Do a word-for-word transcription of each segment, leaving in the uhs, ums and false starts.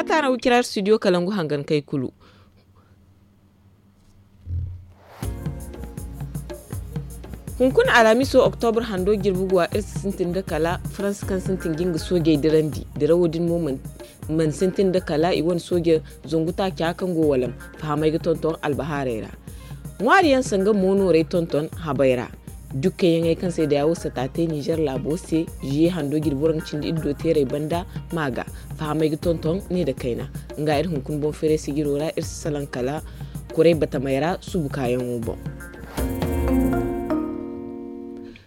Taana wicira studio kalangu hangan kay kulu. Hunkuna alamiso oktobra hando jirbi guwa iri si sintin da kala faransa kaŋ sintin ga nga soojey dirandi dirawo din mo mana sintin da kala i wane sooje zangu taaca kaŋ go walam fahamey ga tonton albahaarey ra. Ŋwaari yaŋ sanga moonoorey tonton habey ra. Jukkayaŋey kaŋ se da yaawo sata te nizer laabo se ziye hando jirbi waraŋ cindi iddo teerey banda ma ga fahamey ga tonton ne da kayna. Nga iri hunkuna boŋ feeray sijiro ra iri si salaŋ kala kuray batamey ra subu kaayaŋo boŋ.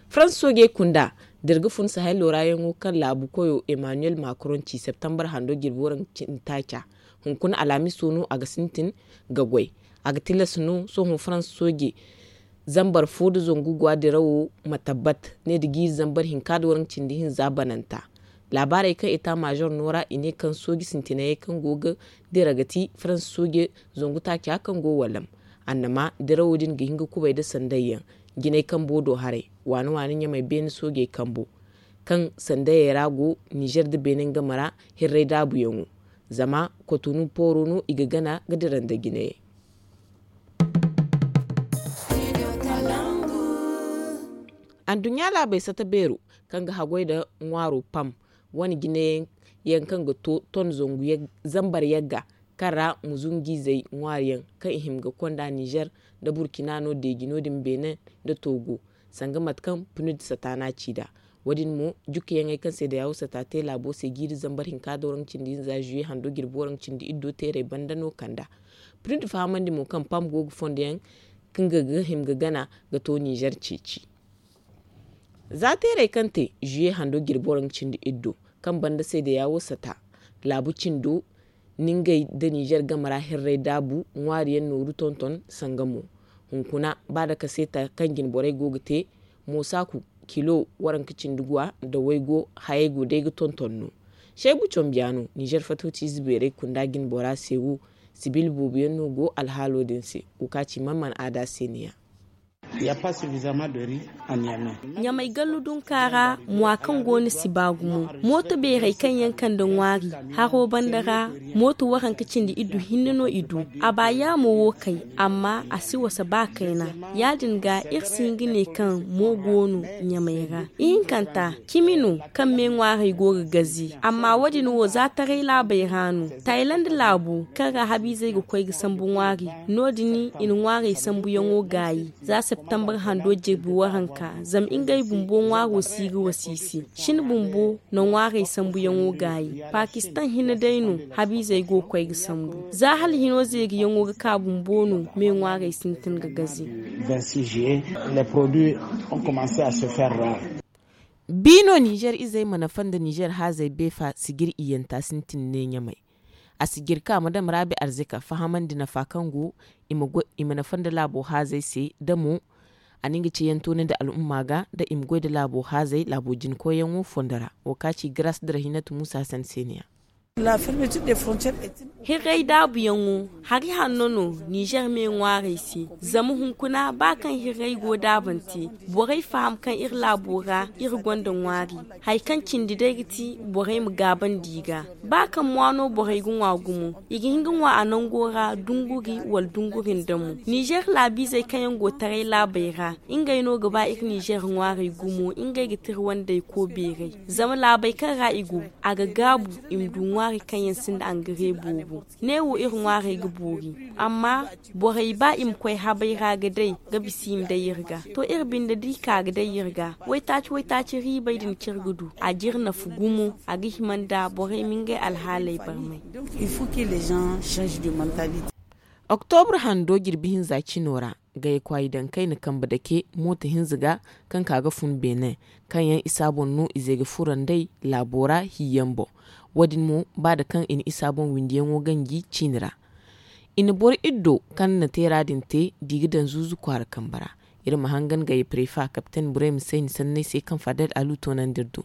Faransa soojey kunda da iri ga fun sahel loorayaŋo kaŋ laabu koyo emmanuel macron ci septembar hando jirbi waraŋ cindi taaca. Hunkuna alamiso no a ga sintin ga goy. A ga tilas no sohõ faransa sooje zambar fo da zangu guwa dirawo ma tabbat ne da jiiri zambar hinka da waraŋ cindi hinza bananta. Laabaarey kaŋ eta major no ra i ne kaŋ sooji sintinayey kaŋ go ga dira ga ti faransa sooje zangu taaca kaŋ go walam. Annama dirawo din ga hin ga kubay da sandayyaŋ jinay kambo do haray waani waani ɲamay beene soojey kambo kaŋ sandayey ra go nizer da beene game ra hirray daabuyaŋo. Zama kotonu pooro no i ga gana ga dira nda jinayey. Anduɲɲa laabey sata beero kaŋ ga haggoy nda ŋwaaro pam wane jinayaŋ kaŋ ga to ton zangu zambar yagga kaŋ ra muzunjiizey ŋwaariyaŋ kaŋ i hima ga konda nizer nda burkina no deeji no- din beene nda togo sanga mate kaŋ pnud sataana ci nd'a. Wo- din mo jukkayaŋey kaŋ se da yaawo sata te laabo se jiiri zambar hinka da waraŋ cindi hinza zuye hando jirbi waraŋ cindi iddo teerey banda no kand'a. Pnud fahamandi mo kaŋ pam go ga fondo yaŋ kaŋ ga hima ga gana ga to nizer ceeci. Za teerey kaŋ te zuye hando jirbi waraŋ cindi iddo kaŋ banda se da yaawo sata laabu cindo ni ngey nda nizer game ra hirray daabu ŋwaariyaŋ nooru tonton sanga mo. Hunkuna ba da kaseeta kaŋ jine borey go ga te moosaku kilo waranka cindi guwa nda waygo hayey go day ga tonton no. Seebu combiyaano nizer fatawci ize beerey kunda jine bora se wo sibil booboyaŋ no go alhaalo din se. Wo ka ci man mana aada se ne ya. Ɲamay gallu dunka ra mwa kaŋ go no si ba gumo mooto beerey kaŋ yaŋ kande ŋwaari haro banda ra. Mooto waranka cindi iddu hinne no i du. A ba yaamo wo kay amma a si wasa ba kayna. Ya- din ga iri si hin ga ne kaŋ mo go no ɲamay ra. Ihinkanta cimi no kaŋ me ŋwaarey go ga gaze. Amma wo- din wo za taray laabey ra no tayland laabo kaŋ ra habiizey ga koy ga sambu ŋwaari. No- din i na ŋwaarey sambuyaŋo gaayi za septembar hando jirbi waranka zama ngey bumbo ŋwaaro si ga wasa i se. Shin bumbo na ŋwaarey sambuyaŋo gaayi pakistan hinne day no. Habiizey go ga koy ga sambu za hala hino zeeriyaŋo ga ka bumbo no me ŋwaarey sintin ga gaze. Bi no nizer izey mana fanda nizer haazey beefa sijir iyanta sintin ne ɲamay. A sijir ka madam raabi arzika fahamandi nafa kaŋ go i ma nafa nda laabo haazey se da mo a na nga ceeyaŋ toonandi al'umma ga da i ma goy nda laabo haazey laabo jinkoyyaŋo fondo ra. Wo ka ci gras dira hinatu muusa hasan se ne ya. Hirray daabuyaŋo hari hanno no nizer me ŋwaarey se. Zama hunkuna ba kaŋ hirray go daabante borey faham kaŋ iri laabo ra iri gonda ŋwaari. Hari kaŋ cindi day ga ti borey ma gaabandi i ga ba kaŋ mwa no borey ga ŋwa gumo. I ga hin ga ŋwa a nango ra dunguri wala dunguri nda mo nizer laabiizey kaŋ yaŋ go taray laabey ra. Ngey no ga ba iri nizer ŋwaarey gumo ngey ga tira wandey ko beeray. Zama laabey kaŋ ra i go a ga gaabu i ma du ŋwaari kaŋ yaŋ sinda angare boobo. Ne wo iri ŋwaarey ga boori amma borey ba i ma koy habey ra ga day ga bisa i ma day iri ga. To iri binde da i ka ga day iri ga waytaaci waytaaci riibey din kaŋ iri ga du a ga iri nafa gumo. A ga hima nda borey ma ngey alhaaley barmay. Oktobra hando jirbi hinza cino ra gayakwayi daŋ kayna kambe dake mooto hinza ga kaŋ ka ga fun beene kaŋ yaŋ isa boŋ no ize ga furo nd'ey laabo ra hiiyaŋ boŋ. Wo- din mo ba da kaŋ i na isa boŋ windiyaŋo ganji ciini ra. I na boro iddo kaŋ na teera din te da i ga daŋ zuuzu kwaara kambe ra. Iri ma hangan gaya prefa kapten burey ma sayni sanney se kaŋ fadel alu toonandi iri do.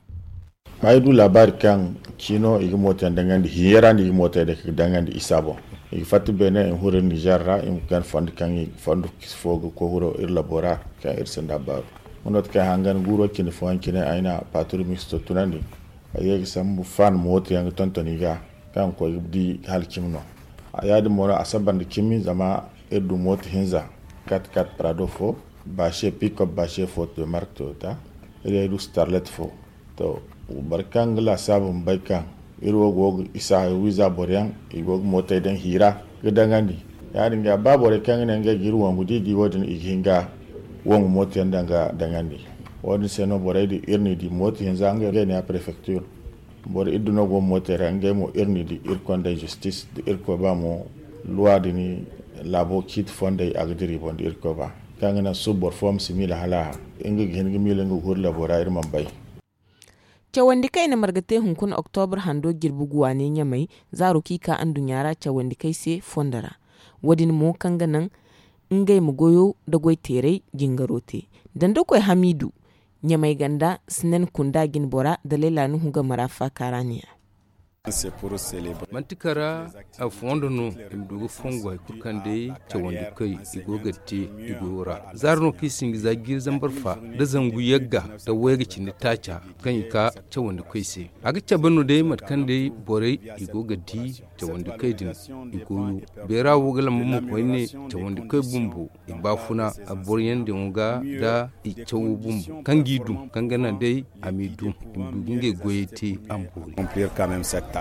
Ay du laabaari kaŋ ciino i ga mooto yaŋ daŋandi hiiyaŋ ra no i ga mooto yaŋ daŋandi isa boŋ. I ga fatta beene i ma huru iri nizer ra i ma gana fondo kaŋ i ga fondo fo ga koy huro iri labo ra. Kaŋ iri sinda baaru. Nga no ti kaŋ ay hangan guuro cindi fooyaŋ cine ay na paaturu misto tunandi. Ay ye ga sambu fan mooto yaŋ ga tonton i ga. kaŋ ga koy ga di hala cimi no. Ya- din mo no a saba nda cimi zama iri du mooto hinza, kat kat prado fo, baase pikop baase fo to mark toyota, iri du starlet fo. To, boro kaŋ ga laasaabu ma bay kaŋ iri wo go ga isa wiiza boro yaŋ, i go ga mootey daŋ hiira ga daŋandi. Ya- din ga ba borey kaŋ ga ne ngey ga iri wangu da i di wo- din, i ga hin ga wangu mooto yaŋ daŋ ga daŋandi. Wo- din se no borey din iri n'i di mooto hinza ngey ne a prefektir. Boro iddu no go mootey ra, ngey mo iri n'i di iri kondey zistis da iri koy ba mo, luwa din laabo ciiti fondey a ga dira i boŋ da iri koy ba, kaŋ ga naŋ suba boro fo ma si miila hala a, nga ga hin ga miila nga ga huru labo ra iri mana bay. Cawandi kayna marga te hunkuna oktobra hando jirbi guwa ne ɲamay, zaaro kaŋ i ka nduɲɲa ra cawandi kay se fondo ra. Wo- din mo kaŋ ga naŋ ngey ma goyo nda goy teeray jingaro te. Dandakoy hamiidu ɲamay ganda, sinan kunda jinbora da layla nuhu game ra faaka ra ne ya. Manti kara a fondo no i ma du ga fongu hari kulu kaŋ day cawandi koy i go ga te i goyo ra. Zaara no kaŋ i sinji za jiiri zambar fa nda zangu yagga nda wayga cindi taaca kaŋ i ka cawandi koy se. A ga cabe no day mate kaŋ day borey i go ga di cawandi koy din i goyo. Beera wo ga lamba mo koyne cawandi koy bumbo i baafuna a boro yaŋ din ga nda i cawo bumbo kaŋ g'i dum kaŋ ga naŋ day a m'i dum i ma du ga ngey goyey te a ma boori.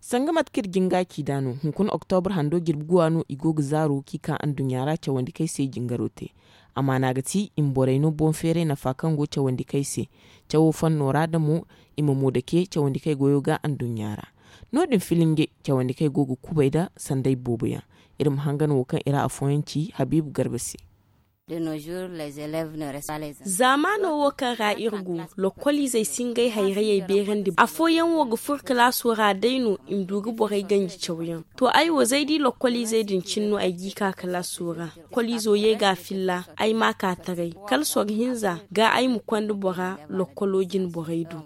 Sanga mate kaŋ iri jinga ci nd'a no hunkuna oktobra hando jirbi guwa no i go ga zaaro kaŋ i ka nduɲɲa ra cawandi kay se jingaro te. Amaana ga ti i ma borey no boŋ feeray nafa kaŋ go cawandi kay se cawo fanno ra da mo i ma mo dake cawandi kay goyo ga nduɲɲa ra. No- din filinge cawandi kay go ga kubay nda sanday boobo yaŋ. Iri ma hangan wo kaŋ i ra afooyaŋ ci habiibu garba se. Zaamaano wo kaŋ ra iri go, lokkoliizey si ngey hayrayey beerandi. Afooyaŋ wo ga furo kalaaso ra day no i ma du ga borey ganji cawyaŋ. To ay wo z'ay di lokkoliizey din cine no ay g'i ka kalaaso ra. Lokkoliizo ye ga a filla ay m'a ka taray kala sorro hinza ga ay ma konda bora lokkolo jine borey do.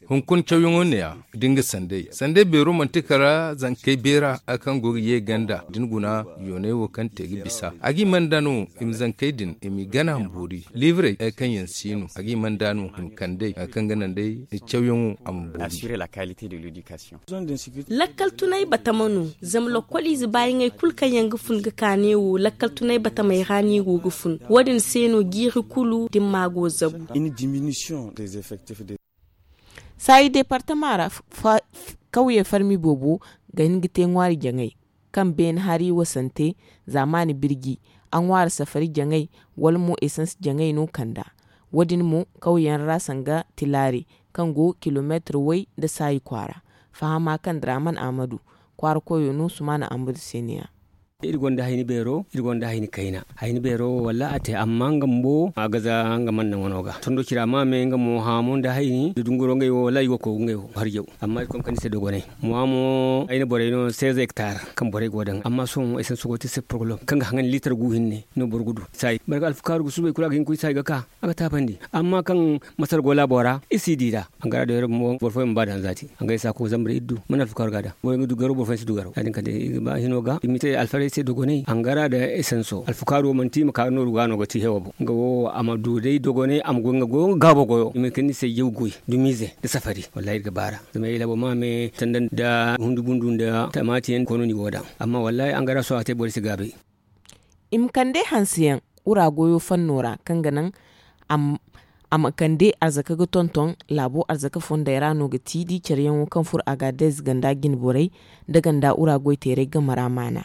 Hunkuna cawyaŋo ne- ya da nga sanday sanday beero manti kala zankey beera hari kaŋ go ga ye ganda da ni guna yoonay wo kaŋ te ga bisa a g'i mana nd'a no i ma zankey din i m'i gana ma boori liibrey hari kaŋ yaŋ si no a g'i mana nd'a no i ma kand'ey hari kaŋ ga naŋ day cawyaŋo a ma boori. Lakkal tunay batama no zama lokkoliize baayaŋey kulu kaŋ yaŋ ga fun ga ka neewo lakkal tunay batamey ra neewo ga fun. Wo- din se no jiiri kulu dimma go zabu. Saayi deepartama ra kawye farmi boobo ga hin ga te ŋwaari jaŋay kaŋ beene hari wasante zaamaani birji a ŋwaari safari jaŋay wala mo esans jaŋay no kand'a. Wo- din mo kawyaŋ ra sanga tilaari kaŋ go kilomeetir way nda saayi kwaara. Fahama kaŋ draaman ahmadu kwaara koyo no sumaana ahmadu se ne- ya. Iri gonda hayni beero iri gonda hayni kayna. Hayni beero wo walla a te amma nga bumbo a ga za nga mana naŋo no ga tondo cira ma me nga mo haamo nda hayni nda dunguro ngey wo walla i go ga koy ga ngey wo harjaw. Amma iri konda kani se dogonay mo a mo ay na borey no seize hectare kaŋ borey go daŋ amma sohõ ay sanso go te se porgolom kaŋ ga haŋandi liitar gu hinne no boro ga du. Saayi barka alfukaaru ga suubay kulu a ga hin ga koy saayi ga ka a ga taabandi. Amma kaŋ masar go laabo ra iri si di nd'a. Hangara da yoro bumbo boro fooyaŋ ma ba daŋ zaati hangara i si a koy zambar iri du mana alfukaaru ga daŋ boro yaŋ ga du garo boro fooyaŋ si du garo ya- din kala day iri ga ba hino ga iri ma te alfarey se dogonay hangara da esanso alfukaaru wo manti i ma ka nooru ga no ga ti hewo boŋ nga wo a ma du day dogonay a ma goy nga goyo nga gaabo goyo i ma hin ga kande ni se yaw goy dumiize nda safari wallahi iri ga ba ra. Zama ay laabo ma me tanda nda hundu bundu nda tamaati yaŋ koonu ni wo daŋ. Amma wallahi hangara sohõ a te boro si gaabay. I ma kande hanseyaŋ wura goyo fanno ra kaŋ ga naŋ a ma kande arzaka ga tonton laabo arzaka fondey ra no ga ti di careyaŋo kaŋ furo agadez ganda jinborey nda ganda wura goyteerey game ra maana.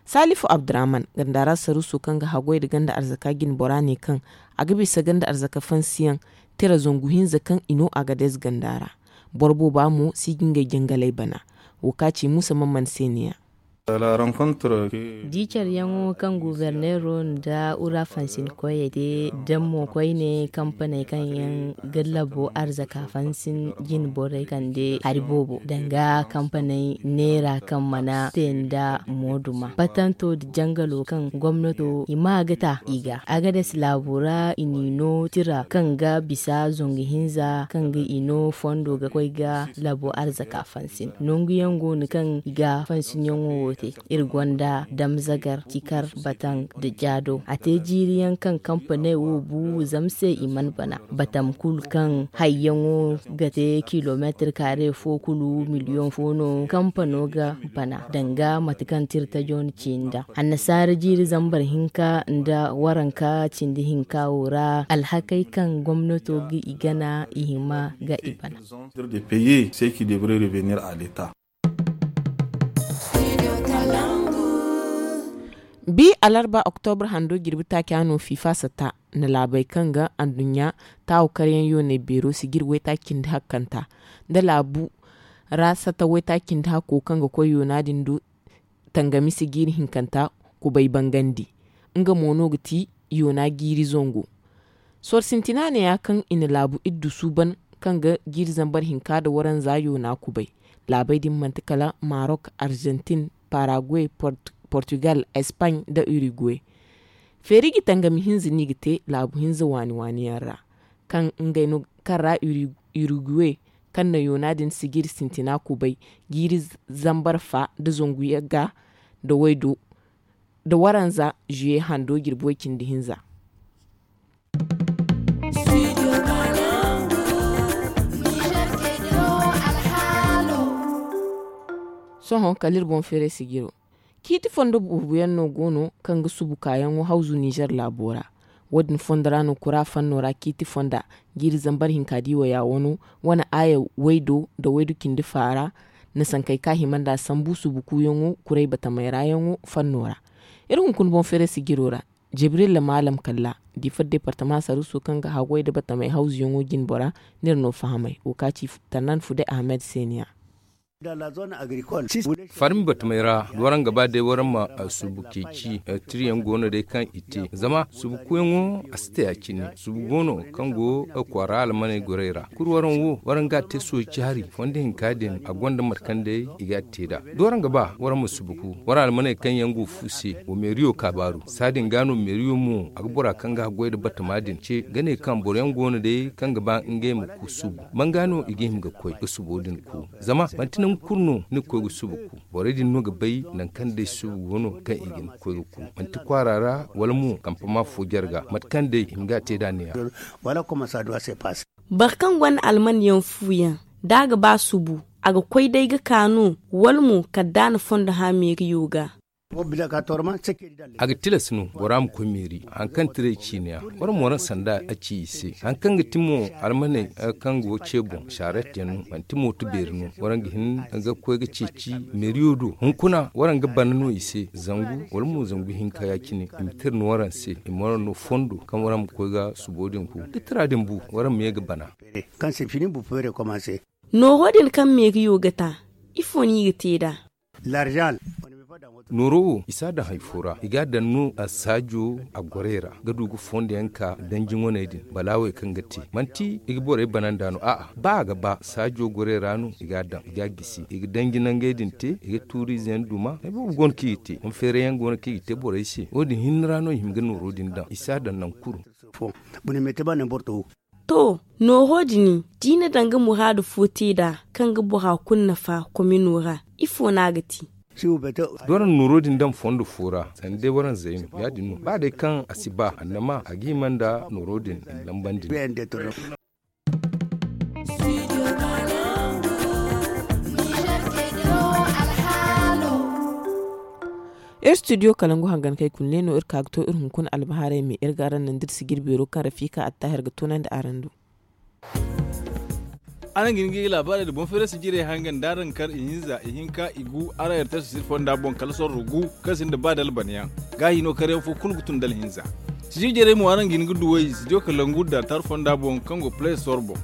Saalifu abdurahman ganda ra saruuso kaŋ ga haggoy nda ganda arzaka jinbora ne kaŋ a ga bisa ganda arzaka fansiyaŋ tira zangu hinza kaŋ i no agadez ganda ra. Boro booba mo si ga ngey jangaley bana. Wo ka ci muusa mamman se ne- ya. Di careyaŋo kaŋ guberneero nda ura fansinkoyey te da mo koyne kampaney kaŋ yaŋ ga labo arzaka fansin jine borey kande hari boobo danga kampaney neera kaŋ mana te nda mooduma patanto nda jangalo kaŋ gomnato i ma ga ta i ga agades laabo ra i n'i no tira kaŋ ga bisa zangu hinza kaŋ ga i no fondo ga koy ga labo arzaka fansin nanguyaŋ go no kaŋ i ga fansinyaŋo wo. Iri gonda damzagar, cikar, bataŋ, da jaado. A te jiiri yaŋ kaŋ kampaney wo bu zama se i mana bana. Batam kulu kaŋ hayyaŋo ga te kilomeetir kaare fo kulu miliyoŋ fo no kampano ga bana danga mate kaŋ tirtajo na ci nd'a. Annasaara jiiri zambar hinka nda waranka cindi hinka wo ra alhakey kaŋ gomnato ga i gana i hima ga i bana. Bi alarba oktobra hando jirbi taaca no fifa sata na laabey kaŋ ga anduɲɲa taawo karyaŋ yooney beero sijir waytaaci cindi hakkanta nda laabu ra sata waytaaci cindi hakko kaŋ ga koy yoona din do tangami sijir hinkanta kubay bangandi. Nga mo no ga ti yoona jiiri zango. Sorro sintina neeya kaŋ i na laabu iddu suuban kaŋ ga jiiri zambar hinka nda waranza yoona kubay. Laabey din manti kala marok, arjantin, paraguay, portugal, espagne, nda uruguay. Feeri ga tangami hinza no i ga te laabu hinza waani waani yaŋ ra kaŋ ngey no kaŋ ra uruguay kaŋ na yoona din sijir sintina kubay jiiri zambar fa nda zangu yagga nda waydo nda waranza juye hando jirbi way cindi hinza. Sohõ kala iri boŋ feeray sijiro ciiti fondo boobo yaŋ no go no kaŋ ga subu kaayaŋo hawzu nizer laabo ra. Wo- din fondo ra no kura fanno ra ciiti fonda jiiri zambar hinka di waya wano wane aaya waydo nda waydu cindi faara na sankey kaŋ a hima nd'a sambu subu kuuyaŋo kuray batamey ra yaŋo fanno ra. Iri hunkuna boŋ feeray sijiro ra jibrilla maalam kalla diifa deepartama saruuso kaŋ ga haggoy nda batamey hawzuyaŋo jinbora. N'iri no fahamay wo kaŋ a ci tannan fude ahmed seeniya. Farmi batamey ra waraŋ ga ba day waraŋ ma subu ceeci. Tiriyaŋ go no day kaŋ i te zama subu kuuyaŋo a si te ya- cine subu go no kaŋ go kwaara almaney gorey ra kulu waraŋ wo waraŋ ga a te sooci hari fondo hinka din a gonda mate kaŋ day i ga a te nd'a. Da waraŋ ga ba waraŋ ma subu ku waraŋ almaney kaŋ yaŋ go fu se wa meeriyo kaabaaru saadin ga no meeriyo mo a ga bora kaŋ ga haggoy nda batama din ce ga ne kaŋ boro yaŋ go no day kaŋ ga ba ngey ma ku subu. Banga no i ga hima ga koy ga subo din ku zama manti nangu kulu no ni ga koy ga subu ku. Borey din no ga bay nangu kaŋ day subu go no kaŋ i ga ni ga koy ga ku manti kwaara ra wala mo kampama fo jarga mate kaŋ day i ma ga a te nd'a neeya. Boro kaŋ gonda alman yaŋ fu yaŋ da a ga ba subu a ga koy day ga ka no wala mo kala da a na fondo hã meeriyo ga. A ga tilas no bora ma koy meeri hari kaŋ tiray ciine ya. Waraŋ mo waraŋ sanda a ci i se hari kaŋ ga ti mo almaney kaŋ go ce boŋ saaret yaŋ no manti mooto beeri no. Waraŋ ga hin ga koy ga ceeci meeriyo do hunkuna waraŋ ga bana no i se zangu wala mo zangu hinka ya- cine i ma tira no waraŋ se i ma waraŋ no fondo kaŋ waraŋ ma koy ga subo din ku da tira din bu waraŋ ma ye ga bana. Nooro din kaŋ meeriyo ga ta ifo no i ga te nd'a? Nooro wo i si a daŋ hari fo ra i ga a daŋ no a saajo a gorey ra ga du ga fondo yaŋ ka danji ŋwaney din balaawey kaŋ ga te manti i ga borey bana nd'a no a'a ba a ga ba saajo gorey ra no i ga a daŋ i ga a gisi i ga danji nangey din te i ga tuuriize yaŋ duma hari boobo go no kaŋ i ga te boŋ feeray yaŋ go no kaŋ i ga te borey se wo- din hinne ra no i hima ga nooro din daŋ i si a daŋ nangu kulu. To nooro din da i na daŋ ga muraadu fo te nd'a kaŋ ga bora kulu nafa komino ra ifo no a ga te? Da waraŋ nooro din daŋ fondo fo ra sanda day waraŋ zay no ya- din no ba day kaŋ a si ba annama a ga hima nda nooro din i na lambandi no. Iri studio kalangu hangankey kulu ne no iri ka ga to iri hunkuna albahaarey me iri ga araŋ naŋ da iri sijir beero kaŋ rafiika attahir ga toonandi araŋ do. Araŋ ga hin ga iri laabaarey nda boŋ feeray sijirey hangan da araŋ kar ihinza ihinka igu araŋ rts sijir fonda boŋ kala sorro gu kaŋ sinda ba da albanyaŋ. Gaahi no karyaŋ fo kulu ga tun da alhinza. Sijir jarey mo araŋ ga hin ga duw'ey studio kalangu nda tar fonda boŋ kaŋ go play store boŋ.